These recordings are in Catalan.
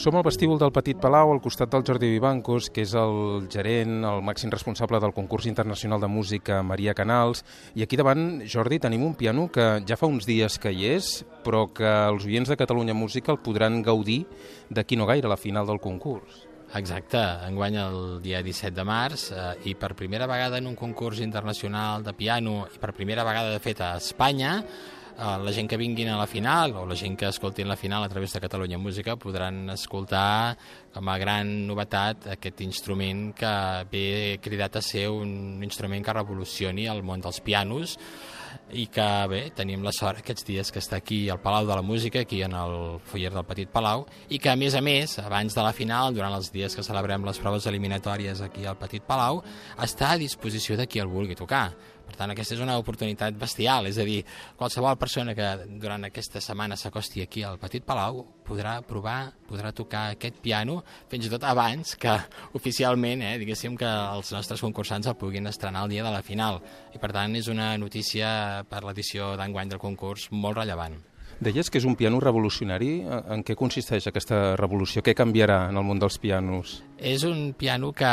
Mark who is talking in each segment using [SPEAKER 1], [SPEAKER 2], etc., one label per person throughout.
[SPEAKER 1] Som al vestíbul del Petit Palau, al costat del Jordi Vivancos, que és el gerent, el màxim responsable del concurs internacional de música Maria Canals. I aquí davant, Jordi, tenim un piano que ja fa uns dies que hi és, però que els oients de Catalunya Música el podran gaudir d'aquí no gaire, a la final del concurs.
[SPEAKER 2] Exacte, enguany el dia 17 de març i per primera vegada en un concurs internacional de piano i per primera vegada de fet a Espanya, la gent que vinguin a la final o la gent que escoltin la final a través de Catalunya Música podran escoltar com a gran novetat aquest instrument que ve cridat a ser un instrument que revolucioni el món dels pianos i que bé, tenim la sort aquests dies que està aquí al Palau de la Música, aquí en el foyer del Petit Palau, i que a més, abans de la final, durant els dies que celebrem les proves eliminatòries aquí al Petit Palau, està a disposició de qui el vulgui tocar. Per tant, aquesta és una oportunitat bestial, és a dir, qualsevol persona que durant aquesta setmana s'acosti aquí al Petit Palau podrà provar, podrà tocar aquest piano, fins i tot abans que oficialment, diguéssim, que els nostres concursants el puguin estrenar el dia de la final. I per tant, és una notícia per l'edició d'enguany del concurs molt rellevant.
[SPEAKER 1] Deies que és un piano revolucionari. En què consisteix aquesta revolució? Què canviarà en el món dels pianos?
[SPEAKER 2] És un piano que,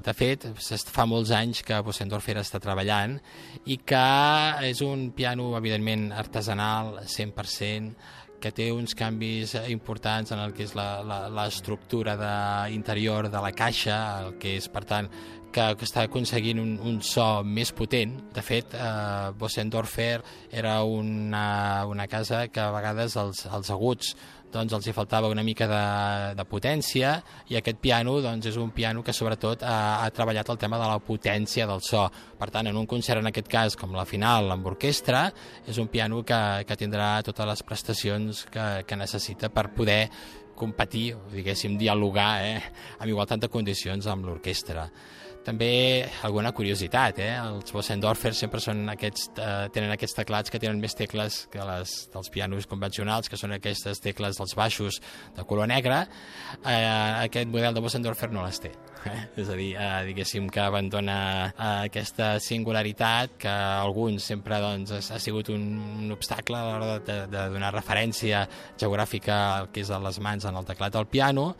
[SPEAKER 2] de fet, fa molts anys que Bösendorfer està treballant i que és un piano, evidentment, artesanal, 100%, que té uns canvis importants en el que és l'estructura interior de la caixa, el que és, per tant, que està aconseguint un so més potent. De fet, Bösendorfer era una casa que a vegades els aguts doncs els hi faltava una mica de potència i aquest piano doncs, és un piano que sobretot ha treballat el tema de la potència del so. Per tant, en un concert, en aquest cas, com la final amb orquestra, és un piano que tindrà totes les prestacions que necessita per poder competir, diguéssim, dialogar amb igualtat de condicions amb l'orquestra. També alguna curiositat, els Bösendorfer sempre tenen aquests teclats que tenen més tecles que dels pianos convencionals, que són aquestes tecles dels baixos de color negre. Aquest model de Bösendorfer no les té. És a dir, diguéssim que abandona aquesta singularitat que a alguns sempre doncs, ha sigut un obstacle a l'hora de donar referència geogràfica al que és a les mans en el teclat del piano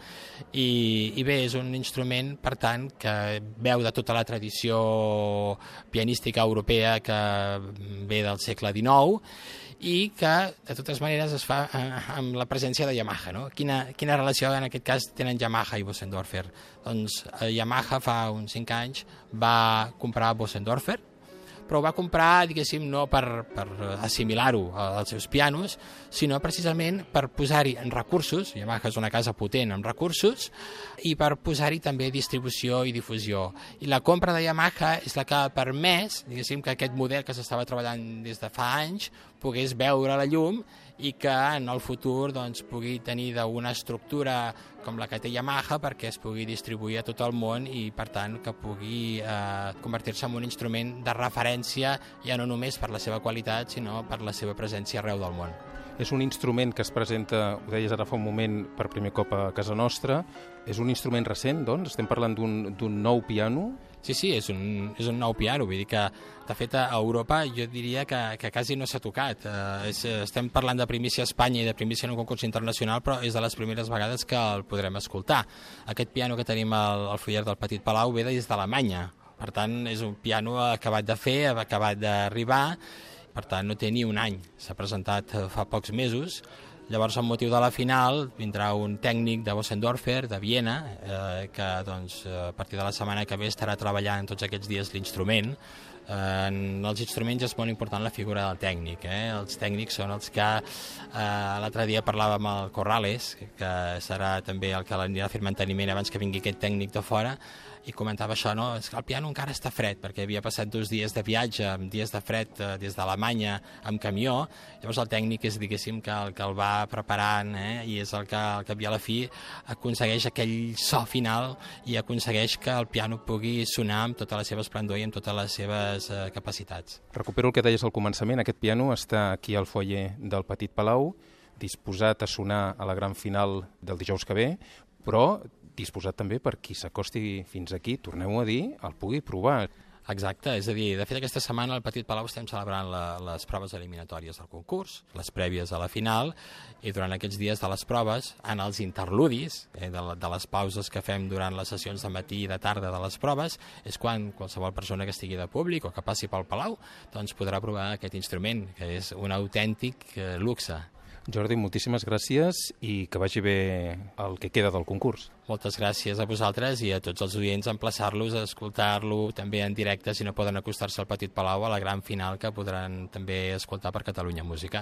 [SPEAKER 2] i bé, és un instrument, per tant, que veu de tota la tradició pianística europea que ve del segle XIX i que, de totes maneres, es fa amb la presència de Yamaha. No? Quina relació, en aquest cas, tenen Yamaha i Bösendorfer? Doncs Yamaha fa uns 5 anys va comprar Bösendorfer, però ho va comprar, diguéssim, no per assimilar-ho als seus pianos, sinó precisament per posar-hi en recursos, Yamaha és una casa potent amb recursos, i per posar-hi també distribució i difusió. I la compra de Yamaha és la que ha permès, diguéssim, que aquest model que s'estava treballant des de fa anys pogués veure la llum i que en el futur doncs, pugui tenir una estructura com la que té Yamaha perquè es pugui distribuir a tot el món i, per tant, que pugui convertir-se en un instrument de referència ja no només per la seva qualitat, sinó per la seva presència arreu del món.
[SPEAKER 1] És un instrument que es presenta, ho deies ara fa un moment, per primer cop a casa nostra. És un instrument recent, doncs? Estem parlant d'un nou piano?
[SPEAKER 2] Sí, és un nou piano, vull dir que, de fet, a Europa jo diria que quasi no s'ha tocat. Estem parlant de primícia a Espanya i de primícia en un concurs internacional, però és de les primeres vegades que el podrem escoltar. Aquest piano que tenim al foyer del Petit Palau ve des d'Alemanya. Per tant, és un piano acabat de fer, acabat d'arribar, per tant, no té ni un any. S'ha presentat fa pocs mesos. Llavors, amb motiu de la final, vindrà un tècnic de Bösendorfer, de Viena, que doncs, a partir de la setmana que ve estarà treballant tots aquests dies l'instrument. En els instruments és molt important la figura del tècnic. Els tècnics són els que l'altre dia parlàvem amb el Corrales, que serà també el que l'anirà a fer manteniment abans que vingui aquest tècnic de fora, i comentava això, no? És que el piano encara està fred, perquè havia passat 2 dies de viatge, amb dies de fred des d'Alemanya, amb camió. Llavors el tècnic és, diguéssim, que el va preparant, i és el que al cap i a la fi aconsegueix aquell so final i aconsegueix que el piano pugui sonar amb tota la seva esplendor i amb totes les seves capacitats.
[SPEAKER 1] Recupero el que deies al començament. Aquest piano està aquí al foyer del Petit Palau, disposat a sonar a la gran final del dijous que ve, però disposat també per qui s'acosti fins aquí, torneu a dir, el pugui provar.
[SPEAKER 2] Exacte, és a dir, de fet aquesta setmana al Petit Palau estem celebrant les proves eliminatòries del concurs, les prèvies a la final, i durant aquests dies de les proves, en els interludis, de les pauses que fem durant les sessions de matí i de tarda de les proves, és quan qualsevol persona que estigui de públic o que passi pel Palau doncs podrà provar aquest instrument, que és un autèntic luxe.
[SPEAKER 1] Jordi, moltíssimes gràcies i que vagi bé el que queda del concurs.
[SPEAKER 2] Moltes gràcies a vosaltres i a tots els oients, emplaçar-los a escoltar-lo també en directe si no poden acostar-se al Petit Palau a la gran final que podran també escoltar per Catalunya Música.